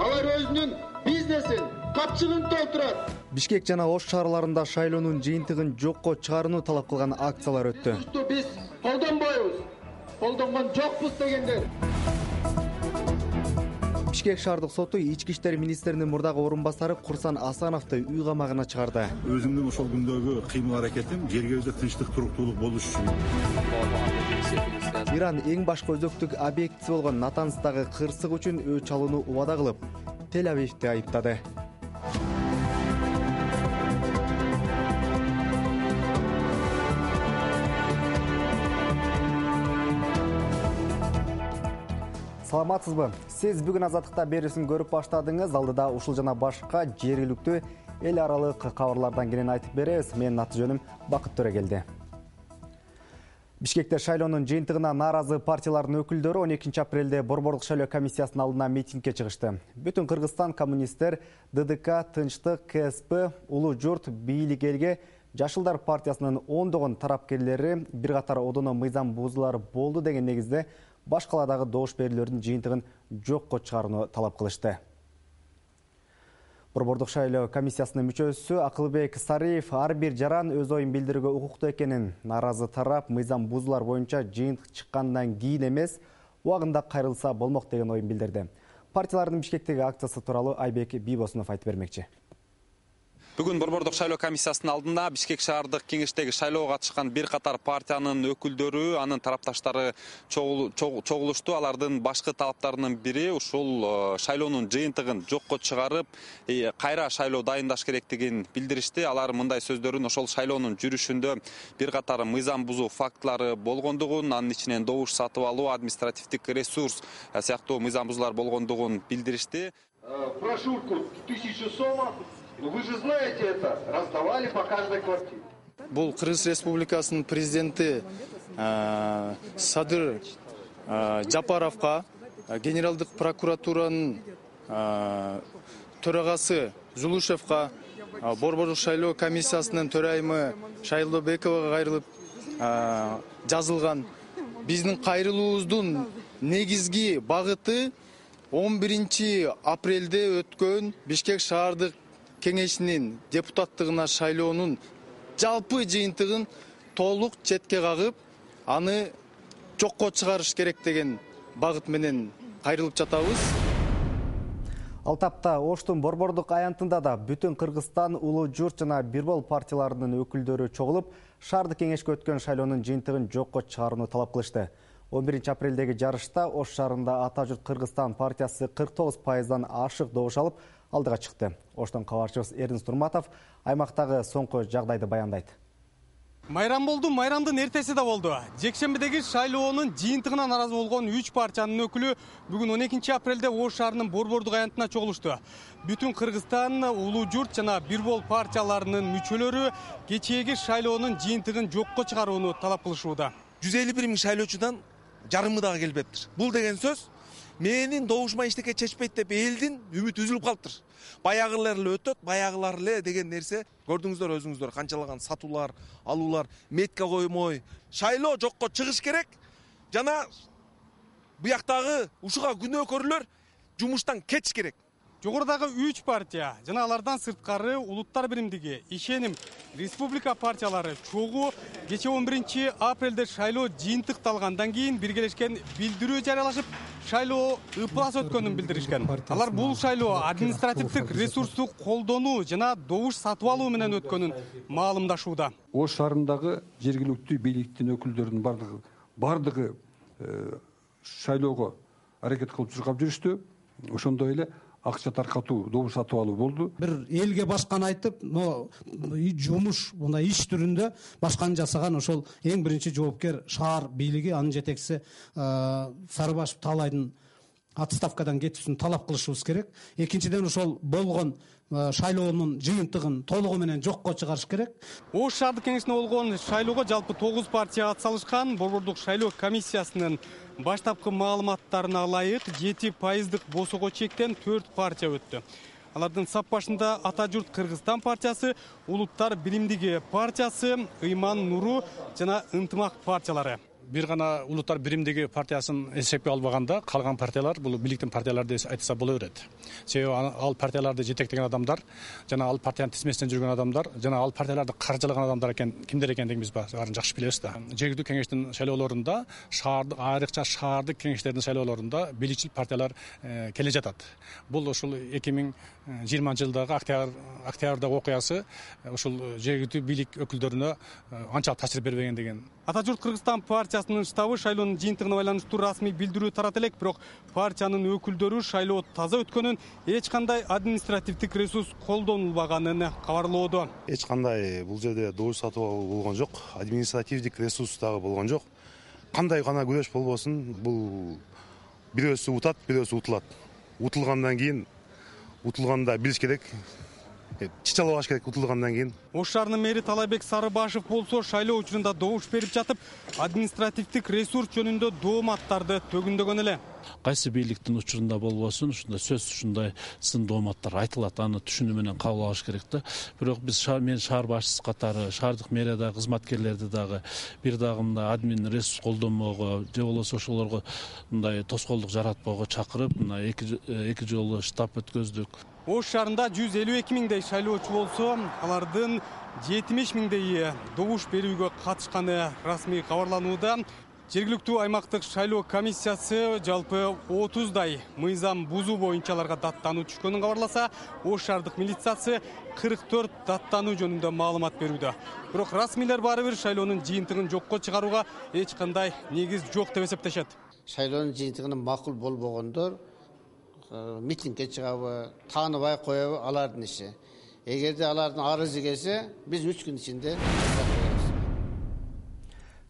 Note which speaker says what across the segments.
Speaker 1: Алар өзүнүн бизнесин, капчыгын толтурат.
Speaker 2: Бишкек жана Ош шаарларында шайлоонун жыйынтыгын жокко чыгарууну талап кылган акциялар өттү.
Speaker 1: Биз колдонбойбуз, колдонгон жокпуз дегендер.
Speaker 2: Бишкек шаардык соту ички иштер министринин мурдагы орун басары Курсан Асановду үй камагына чыгарды.
Speaker 3: Өзүмдүн ошол күндөгү кыймыл аракетим жергебизде тынчтык, туруктуулук болуш үчүн.
Speaker 2: Иран эң башкы өзөктүк объектиси болгон Натанстагы кырсык үчүн өч алууну убада кылып, Тель-Авивди айыптады. Саламатсызбы? Сиз бүгүн Азаттыкта берүүсүн көрүп баштадыңыз. Алдыда ушул жана башка жергиликтүү эл аралык кабарлардан кенен айтып беребиз. Менин аты жөнүм Бакыт Төрөгелди. Бишкекте шайлоонун жыйынтыгына нааразы партиялардын өкүлдөрү 12 апрелде Борбордук шайлоо комиссиясынын алдына митингге чыгышты. Бүтүн Кыргызстан коммунисттер, ДДК, Тынчтык, КСП, Улуу журт, Бийлик элге, Жашылдар партиясынын ондогон тарапкерлери бир катар одоно мыйзам бузуулар болду деген негизде баш каладагы добуш берүүлөрдүн жыйынтыгын жокко чыгарууну талап кылышты. Борбордук шайлоо комиссиясынын мүчөсү Акылбек Сариев ар бир жаран өз оюн билдирүүгө укуктуу экенин, нааразы тарап мыйзам бузуулар боюнча жыйынтык чыккандан кийин эмес, убагында кайрылса болмок деген оюн билдирди. Партиялардын Бишкектеги акциясы тууралуу Айбек Бийбосунов айтып бермекчи.
Speaker 4: Бүгүн Борбордук шайлоо комиссиясынын алдында Бишкек шаардык кеңештеги шайлоого катышкан бир катар партиянын өкүлдөрү, анын тарапташтары чогулушту. Алардын башкы талаптарынын бири ушул шайлоонун жыйынтыгын жокко чыгарып, кайра шайлоо дайындаш керектигин билдиришти. Алар мындай сөздөрүн ошол шайлоонун жүрүшүндө бир катар мыйзам бузуу фактылары болгондугун, анын ичинен добуш сатып алуу, административдик ресурс сыяктуу мыйзам бузуулар болгондугун билдиришти.
Speaker 1: Прошурку 1000 сомов. Вы же знаете это, раздавали по каждой квартире.
Speaker 5: Бул Кыргыз Республикасынын президенти Садыр Жапаровго, генералдык прокуратуранын төрагасы Зулушевго, Борбордук шайлоо комиссиясынын төрайымы Шайлообековго кайрылып жазылган. Биздин кайрылуубуздун негизги багыты 11 апрелде өткөн Бишкек шаардык кеңешинин депутаттыгына шайлоонун жалпы жыйынтыгын толук четке кагып, аны жокко чыгарыш керек деген багыт менен кайрылып жатабыз.
Speaker 2: Ал тапта Оштун борбордук аянтында да бүтүн Кыргызстан, Улуу журт жана Бирбол партияларынын өкүлдөрү чогулуп, шаардык кеңешке өткөн шайлоонун жыйынтыгын жокко чыгарууну талап кылышты. 11 апрелдеги жарышта Ош шаарында Ата журт Кыргызстан партиясы 49%дан ашык добуш алып, алдыга чыкты. Оштон кабарчыбыз Эрдинс Турматов аймактагы соңку жагдайды баяндайт.
Speaker 6: Майрам болду, майрамдын эртеси да болду. Жекшембидеги шайлоонун жыйынтыгына нааразы болгон 3 партиянын өкүлү бүгүн 12 апрелде Ош шаарынын борбордук аянтына чогулушту. Бүтүн Кыргызстан, Улуу журт жана Бирбол партияларынын мүчөлөрү кечээги шайлоонун жыйынтыгын жокко чыгарууну талап кылышууда.
Speaker 7: 151 миң шайлоочудан жарымы дагы келбептир. Бул деген сөз менин добушума эчтеке чечпейт деп элдин үмүтү үзүлүп калыптыр. Баягылар эле өтөт, баягылар эле деген нерсе көрдүңүздөр өзүңүздөр, канчалаган сатуулар, алуулар, метка коймой, шайлоо жокко чыгыш керек жана буяктагы ушуга күнөөкөрлөр жумуштан кетиш керек.
Speaker 6: Жогорудагы 3 партия жана алардан сырткары Улуттар биримдиги, Ишеним, Республика партиялары чогуу кече 11 апрелде шайлоо жыйынтыкталгандан кийин биргелешкен билдирүү жарыялашып, шайлоо ыплас өткөнүн билдиришкен. Алар бул шайлоо административдик ресурсту колдонуу жана добуш сатып алуу менен өткөнүн маалымдашууда.
Speaker 8: Ош шаарындагы жергиликтүү бийликтин өкүлдөрүнүн бардыгы шайлоого аракет кылып чуркап жүрүштү. Ошондой эле акча таркатуу, добуш сатып алуу болду.
Speaker 9: Бир элге башканы айтып, жумуш, мындай иш түрүндө башканы жасаган ошол эң биринчи жоопкер шаар бийлиги, анын жетекчиси Сарыбашев Таалайдын отставкадан кетүүсүн талап кылышыбыз керек. Экинчиден ошол болгон шайлоонун жыйынтыгын толугу менен жокко чыгарыш керек.
Speaker 6: Ош шаардык кеңешине болгон шайлоого жалпы 9 партия атсалышкан. Борбордук шайлоо комиссиясынын баштапкы маалыматтарына ылайык 7% босого чектен 4 партия өттү. Алардын сап башында Ата журт Кыргызстан партиясы, Улуттар биримдиги партиясы, Ыйман Нуру жана Ынтымак партиялары.
Speaker 10: бир гана улуттар биримдиги партиясын эсепке албаганда калган партиялар бул бийликтин партиялары деп айтса боло берет. Себеби ал партияларды жетектеген адамдар жана ал партиянын тизмесинен жүргөн адамдар жана ал партияларды каржылаган адамдар экен, кимдер экендигин биз баарын жакшы билебиз да. Жергиликтүү кеңештин шайлоолорунда айрыкча шаардык кеңештердин шайлоолорунда бийликчил партиялар келе жатат. Бул ушул 2020-жылдагы октябрдагы окуясы ушул жергиликтүү бийлик өкүлдөрүнө анчалык таасир бербеген деген.
Speaker 6: Ата журт Кыргызстан партиясынын штабы шайлоонун жыйынтыгына байланыштуу расмий билдирүү тарата элек, бирок партиянын өкүлдөрү шайлоо таза өткөнүн, эч кандай административдик ресурс колдонулбаганын кабарлоодо.
Speaker 11: Эч кандай бул жерде добуш сатып алуу болгон жок, административдик ресурс дагы болгон жок. Кандай гана күрөш болбосун, бул бирөөсү утат, бирөөсү утулат. Утулгандан кийин утулганда билиш керек. Чычалабаш керек утулгандан кийин.
Speaker 6: Ош шаарынын мэри Талайбек Сарыбашев болсо шайлоо учурунда добуш берип жатып, административдик ресурс жөнүндө дооматтарды төгүндөгөн эле.
Speaker 12: Кайсы бийликтин учурунда болбосун, ушундай сөз ушундай сын дооматтар айтылат, аны түшүнүү менен кабыл алыш керек да. Бирок биз мен шаар башчысы катары шаардык мэриядагы кызматкерлерди дагы бир дагы мындай админ ресурс колдонмоого же болбосо ошолорго мындай тоскоолдук жаратпоого чакырып, мына эки жолу штаб өткөздүк.
Speaker 6: Ош шаарында 152 миңдей шайлоочу болсо, алардын 70 миңдейи добуш берүүгө катышканы расмий кабарланууда. Жергиликтүү аймактык шайлоо комиссиясы жалпы 30дай мыйзам бузуу боюнча аларга даттануу түшкөнүн кабарласа, Ош шаардык милициясы 44 даттануу жөнүндө маалымат берүүдө. Бирок расмийлер баары бир шайлоонун жыйынтыгын жокко чыгарууга эч кандай негиз жок деп эсептешет.
Speaker 13: Шайлоонун жыйынтыгына макул болбогондор митингге чыгабы, тааныбай коебу алардын иши. Эгерде алардын арызы келсе, биз 3 күн ичинде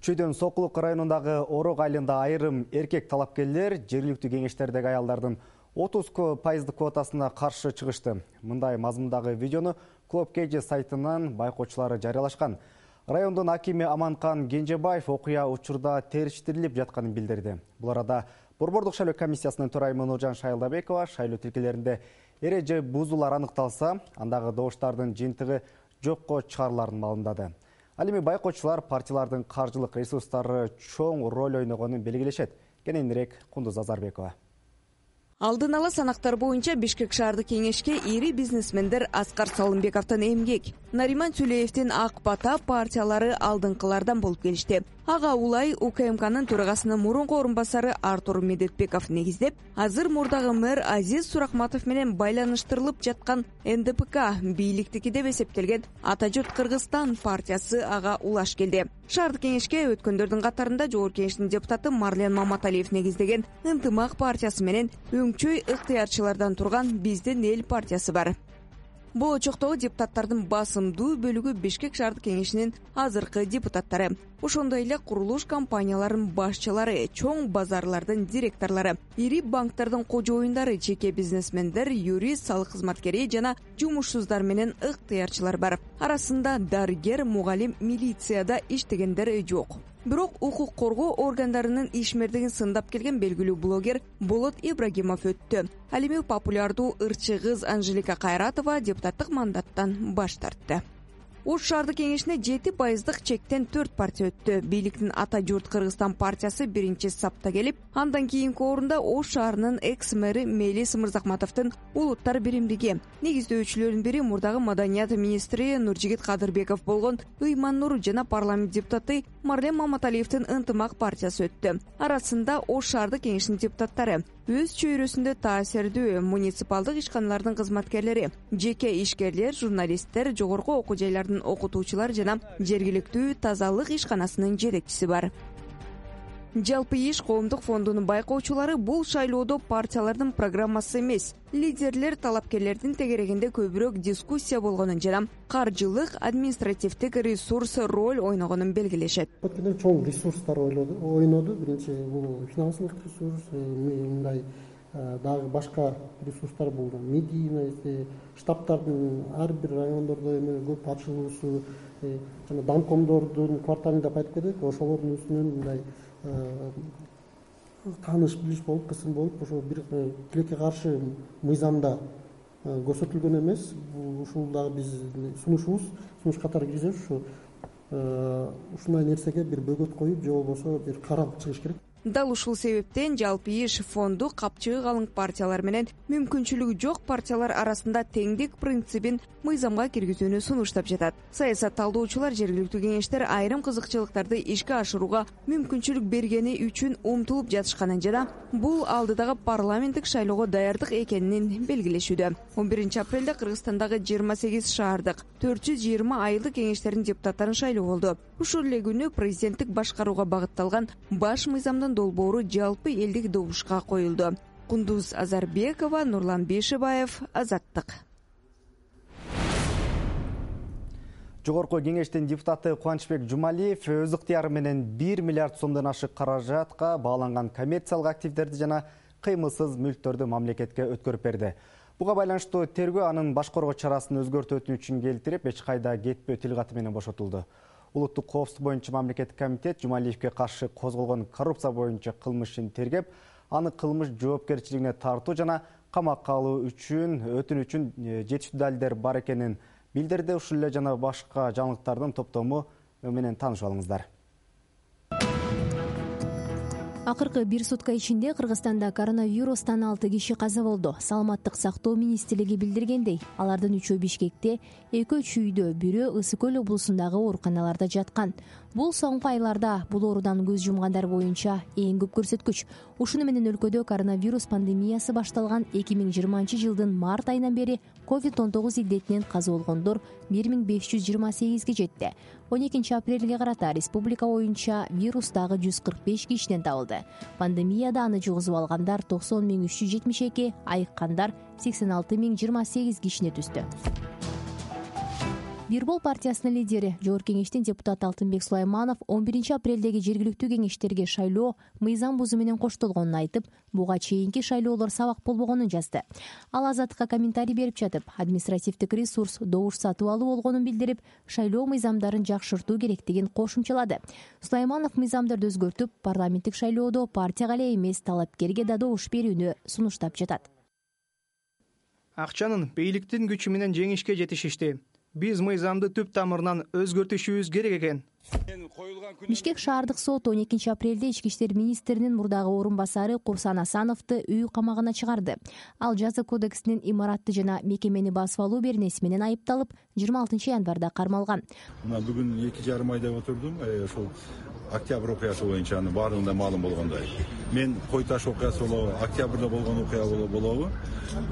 Speaker 2: Чүйдөн Сокулук районундагы Орок айылында айрым эркек талапкерлер жергиликтүү кеңештердеги аялдардын 30% квотасына каршы чыгышты. Мындай мазмундагы видеону Клуб КЖ сайтынан байкоочулары жарыялашкан. Райондун акими Аманкан Кенжебаев окуя учурда териштирилип жатканын билдирди. Бул арада Борбордук шайлоо комиссиясынын төрайымы Нуржан Шайылдабекова шайлоо тилкелеринде эреже бузуулар аныкталса, андагы добуштардын жыйынтыгы жокко чыгарыларын маалымдады. Ал эми байкоочулар партиялардын каржылык ресурстары чоң роль ойногонун белгилешет. Кененирээк Кундуз Азарбекова.
Speaker 14: Алдын ала санактар боюнча Бишкек шаардык кеңешке ири бизнесмендер Аскар Салымбековдун эмгек, Нариман Сүлеевдин Ак Бата партиялары алдыңкылардан болуп келишти. Ага улай УКМКнын төрагасынын мурунку орун басары Артур Медетбеков негиздеп, азыр мурдагы мэр Азиз Суракматов менен байланыштырылып жаткан НДПК бийликтики деп эсептелген Ата журт Кыргызстан партиясы ага улаш келди. Шаардык кеңешке өткөндөрдүн катарында Жогорку кеңештин депутаты Марлен Маматалиев негиздеген Ынтымак партиясы менен өңчөй ыктыярчылардан турган Биздин эл партиясы бар. Болочоктогу депутаттардын басымдуу бөлүгү Бишкек шаардык кеңешинин азыркы депутаттары. Ошондой эле курулуш компанияларынын башчылары, чоң базарлардын директорлору, ири банктардын кожоюндары, жеке бизнесмендер, юрист, салык кызматкери жана жумушсуздар менен ыктыярчылар бар. Арасында дарыгер, мугалим, милицияда иштегендер жок. Бирок укук коргоо органдарынын ишмердигин сындап келген белгилүү блогер Болот Ибрагимов өттү. Ал эми популярдуу ырчы кыз Анжелика Кайратова депутаттык мандаттан баш тартты. Ош шаардык кеңешине 7% чектен 4 партия өттү. Бийликтин Ата журт Кыргызстан партиясы биринчи сапта келип, андан кийинки орунда Ош шаарынын экс-мэри Мелис Мырзакматовдун улуттар биримдиги негиздөөчүлөрүнүн бири мурдагы маданият министри Нуржигит Кадырбеков болгон Ыйман-Нур жана парламент депутаты Марлен Маматалиевдин Ынтымак партиясы өттү. Арасында Ош шаардык кеңешинин депутаттары, өз чөйрөсүндө таасирдүү муниципалдык ишканалардын кызматкерлери, жеке ишкерлер, журналисттер, жогорку окуу жайлардын окутуучулар жана жергиликтүү тазалык ишканасынын жетекчиси бар. Жалпы иш коомдук фондунун байкоочулары бул шайлоодо партиялардын программасы эмес, лидерлер талапкерлердин тегерегинде көбүрөөк дискуссия болгонун жана каржылык, административдик ресурс роль ойногонун белгилешет.
Speaker 15: Чоң ресурстар ойноду. Биринчи бул финансылык ресурс, мындай дагы башка ресурстар болду. Медийный, штабтардын ар бир райондордо эме көп ачылуусу, жана домкомдордун кварталында айтып кетет, ошолордун үстүнөн мындай тааныш билиш болуп, кысым болуп, ошо бир тилекке каршы мыйзамда көрсөтүлгөн эмес. Ушул дагы биз сунуш катары киргизебиз. Ушу ушундай нерсеге бир бөгөт коюп же болбосо бир карар чыгыш керек.
Speaker 14: Дал ушул себептен жалпы иш фонду капчыгы калың партиялар менен мүмкүнчүлүгү жок партиялар арасында теңдик принцибин мыйзамга киргизүүнү сунуштап жатат. Саясат талдоочулар жергиликтүү кеңештер айрым кызыкчылыктарды ишке ашырууга мүмкүнчүлүк бергени үчүн умтулуп жатышканын жана бул алдыдагы парламенттик шайлоого даярдык экенин белгилешүүдө. 11 апрелде Кыргызстандагы 28 шаардык 420 айылдык кеңештердин депутаттарын шайлоо болду. Ушул эле күнү президенттик башкарууга багытталган баш мыйзамдын долбоору жалпы элдик добушка коюлду. Кундуз Азарбекова, Нурлан Бейшебаев, Азаттык.
Speaker 2: Жогорку кеңештин депутаты Кубанычбек Жумалиев өз ыктыяры менен 1 миллиард сомдон ашык каражатка бааланган коммерциялык активдерди жана кыймылсыз мүлктөрдү мамлекетке өткөрүп берди. Буга байланыштуу тергөө анын башкаруу чарасын өзгөртүү үчүн келтирип, эч кайда кетпөө тил каты менен бошотулду. Улуттук коопсуздук боюнча мамлекеттик комитет Жумалиевке каршы козголгон коррупция боюнча кылмышын тергеп, аны кылмыш жоопкерчилигине тартуу жана камакка алуу үчүн өтүнүчүн жетиштүү далилдер бар экенин билдирди. Ушул эле жана башка жаңылыктардын топтому менен таанышып алыңыздар.
Speaker 16: Акыркы бир сутка ичинде Кыргызстанда коронавирустан 6 киши каза болду. Саламаттык сактоо министрлиги билдиргендей, алардын 3-өө Бишкекте, 2-өө үйдө, бирөө Ысык көл облусундагы ооруканаларда жаткан. Бул соңку айларда бул оорудан көз жумгандар боюнча эң көп көрсөткүч. Ушуну менен өлкөдө коронавирус пандемиясы башталган 2020-жылдын март айынан бери COVID-19 илдетинен каза болгондор 1528ге жетти. 12 апрелге карата республика боюнча вирус дагы 145 кишиден табылды. Пандемияда аны жугузуп алгандар 90.372, айыккандар 86.028 кишине түздү. Бирбол партиясынын лидери, Жогорку кеңештин депутаты Алтынбек Сулайманов 11 апрелдеги жергиликтүү кеңештерге шайлоо мыйзам бузуу менен коштолгонун айтып, буга чейинки шайлоолор сабак болбогонун жазды. Ал Азаттыкка комментарий берип жатып, административдик ресурс добуш сатып алуу болгонун билдирип, шайлоо мыйзамдарын жакшыртуу керектигин кошумчалады. Сулайманов мыйзамдарды өзгөртүп, парламенттик шайлоодо партияга эле эмес, талапкерге да добуш берүүнү сунуштап жатат.
Speaker 17: Акчанын бийликтин күчү менен жеңишке жетишишти. Биз мыйзамды түп тамырынан өзгөртүшүбүз керек экен.
Speaker 16: Бишкек шаардык соту 12 апрелде ички иштер министринин мурдагы орун басары Курсан Асановду үй камагына чыгарды. Ал жаза кодексинин имаратты жана мекемени басып алуу беренеси менен айыпталып, 26 январда кармалган.
Speaker 3: Мына бүгүн 2,5 айда отурдум. Ошол октябрь окуясы боюнча анын баардыгында маалым болгондой. Мен Кой Таш окуясы болобу, октябрда болгон окуя болобу,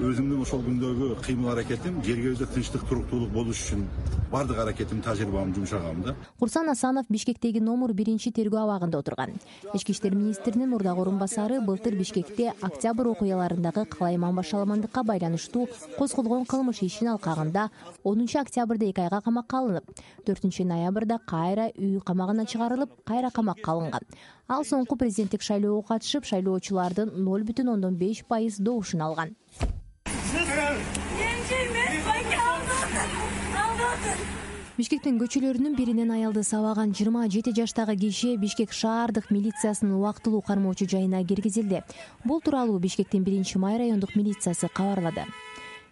Speaker 3: өзүмдүн ошол күндөгү кыймыл аракетим жерге өзү тынчтык, туруктуулук болуш үчүн баардык аракетим, тажрыйбамды жумшагам да.
Speaker 16: Курсан Асанов Бишкектеги номер 1 тергөө абагында отурган. Ички иштер министринин мурдагы орун басары былтыр Бишкекте октябрь окуяларындагы калайман башаламандыкка байланыштуу козголгон кылмыш ишин алкагында 10 октябрда 2 айга камакка алынып, 4 ноябрда кайра үй камагына чыгарылып, кайра камакка алынган. Ал соңку президенттик шайлоого катышып, шайлоочулардын 0,5% добушун алган. Бишкектин көчөлөрүнүн биринен аялды сабаган 27 жаштагы киши Бишкек шаардык милициясынын убактылуу кармоочу жайына киргизилди. Бул тууралуу Бишкектин 1-май райондук милициясы кабарлады.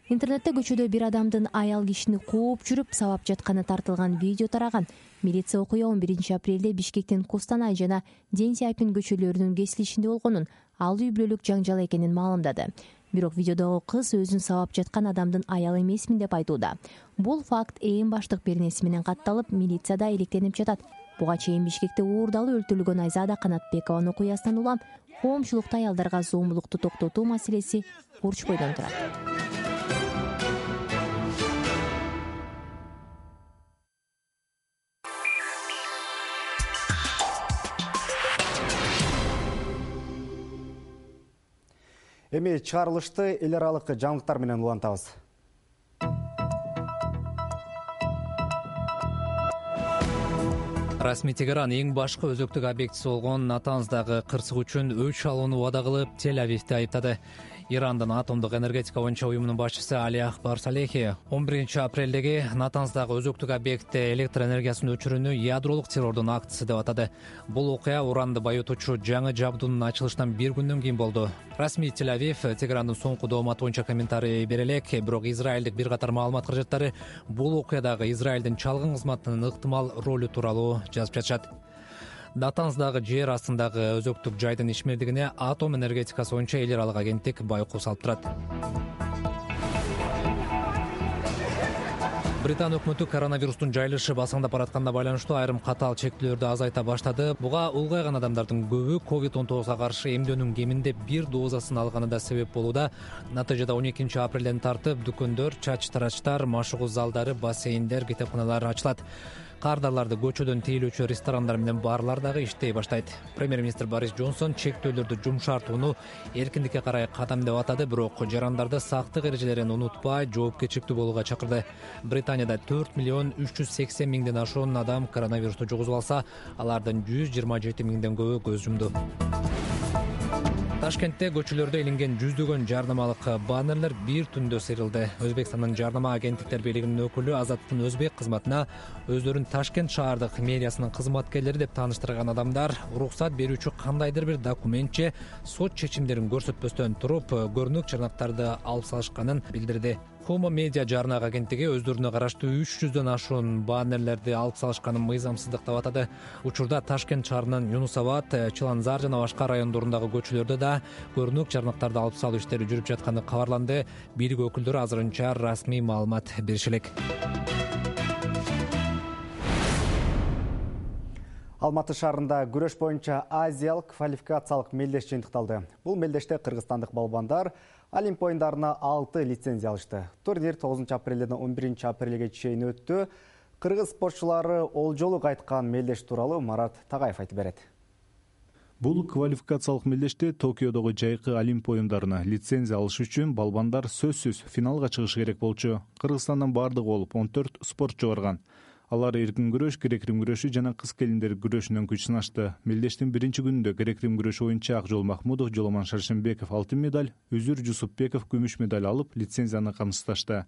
Speaker 16: Интернетте көчөдө бир адамдын аял кишини кууп жүрүп сабап жатканы тартылган видео тараган. Милиция окуя 11 апрелде Бишкектин Кустанай жана Ден Сяйпин көчөлөрүнүн кесилишинде болгонун, ал үй бүлөлүк жаңжал экенин маалымдады. Бирок видеодогу кыз өзүн сабап жаткан адамдын аялы эмесмин деп айтууда. Бул факт эң баштык беренеси менен катталып, милицияда иликтенип жатат. Буга чейин Бишкекте уурдалып өлтүрүлгөн Айзада Канатбекованын окуясынан улам коомчулукта аялдарга зомбулукту токтотуу маселеси урч бойдон турат.
Speaker 2: Эми чыгарылышты эл аралык жаңылыктар менен улантабыз.
Speaker 18: Расмий Тегеран эң башкы өзөктүк объектиси болгон Натанздагы кырсык үчүн өч алууну убада кылып, Тель-Авивди айыптады. Ирандын атомдук энергетика боюнча уюмунун башчысы Али Акбар Салехи 11 апрелдеги Натанздагы өзөктүк объектте электр энергиясын өчүрүүнү ядролук террордун актысы деп атады. Бул окуя уранды байытуучу жаңы жабдуунун ачылышынан бир күндөн кийин болду. Расмий Тель-Авив Теграндын соңку дооматы боюнча комментарий бере элек, бирок израилдик бир катар маалымат каражаттары бул окуядагы Израилдин чалгын кызматынын ыктымал ролу тууралуу жазып жатышат. Натанздагы жер астындагы өзөктүк жайдын ишмердигине атом энергетикасы боюнча эл аралык агенттик байкоо салып турат. Британ өкмөтү коронавирустун жайылышы басаңдап баратканына байланыштуу айрым катаал чектөөлөрдү азайта баштады. Буга улгайган адамдардын көбү COVID-19 каршы эмдөөнүн кеминде бир дозасын алганы да себеп болууда. Натыйжада 12 апрелден тартып дүкөндөр, чач-тарачтар, машыгуу залдары, бассейндер, китепканалар ачылат. Кардарларды көчөдөн тейлөөчү ресторандар менен барлар дагы иштей баштайт. Премьер-министр Борис Джонсон чектөөлөрдү жумшартууну эркиндикке карай кадам деп атады, бирок жарандарды сактык эрежелерин унутпай, жоопкерчиликтүү болууга чакырды. Британияда 4,380,000ден ашуун адам коронавирусту жугузуп алса, алардын 127,000ден көбү көз жумду. Ташкентте көчөлөрдө илинген жүздөгөн жарнамалык баннерлер бир түндө сыйрылды. Өзбекстандын жарнама агенттиктер бийлигинин өкүлү Азаттыктын өзбек кызматына өздөрүн Ташкент шаардык мэриясынын кызматкерлери деп тааныштырган адамдар уруксат берүүчү кандайдыр бир документче сот чечимдерин көрсөтпөстөн туруп көрүнүк чарнактарды алып салышканын билдирди. Хума медиа жарнак агенттиги өздөрүнө караштуу 300дөн ашуун баннерлерди алып салышканын мыйзамсыздык деп атады. Учурда Ташкент шаарынын Юнусабад, Чыланзар жана башка райондорундагы көчөлөрдө да көрүнүк чарнактарды алып салуу иштери жүрүп жатканы кабарланды. Бийлик өкүлдөрү азырынча расмий маалымат бериши элек.
Speaker 2: Алматы шаарында күрөш боюнча азиялык квалификациялык мелдеш жыйынтыкталды. Бул мелдеште кыргызстандык балбандар Олимп оюндарына 6 лицензия алышты. Турнир 9 апрелден 11 апрелге чейин өттү. Кыргыз спортчулары олжолу кайткан мелдеш тууралуу Марат Тагаев айтып берет.
Speaker 19: Бул квалификациялык мелдеште Токиодогу жайкы Олимп оюндарына лицензия алыш үчүн балбандар сөзсүз финалга чыгышы керек болчу. Кыргызстандан бардыгы болуп 14 спортчу барган. Алар эркин күрөш, грек-рим күрөшү жана кыз келиндер күрөшүнөн күч сынашты. Мелдештин биринчи күнүндө грек-рим күрөшү боюнча Акжол Махмудов, Жоломан Шаршембеков алтын медаль, Үзүр Жусупбеков күмүш медаль алып, лицензияны камсыздашты.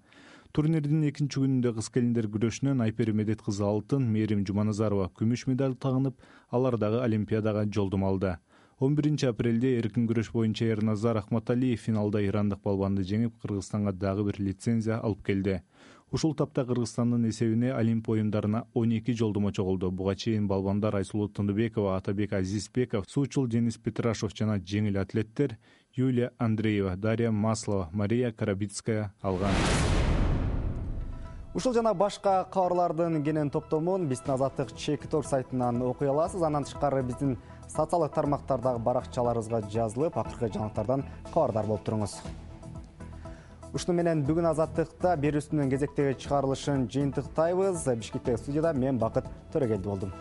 Speaker 19: Турнирдин экинчи күнүндө кыз келиндер күрөшүнөн Айпери Медет кызы алтын, Мээрим Жуманазарова күмүш медаль тагынып, алар дагы Олимпиадага жолдомо алды. 11 апрелде эркин күрөш боюнча Эрназар Ахматалиев финалда ирандык балбанды жеңип, Кыргызстанга дагы бир лицензия алып келди. Ушул тапта Кыргызстандын эсебине Олимп оюндарына 12 жолдомо чогулду. Буга чейин балбандар Айсулуу Тындыбекова, Атабек Азизбеков, суучул Денис Петрашев жана жеңил атлеттер Юлия Андреева, Дарья Маслова, Мария Карабицкая алган.
Speaker 2: Ушул жана башка кабарлардын кенен топтомун биздин Азаттык Чекитор сайтынан окуй аласыз. Андан тышкары биздин социалдык тармактардагы баракчаларыбызга жазылып, акыркы жаңылыктардан кабардар болуп туруңуз. Ушуну менен бүгүн Азаттыкта берүүсүнүн кезектеги чыгарылышын жыйынтыктайбыз. Бишкектеги студияда мен Бакыт Төрөгелди болдум.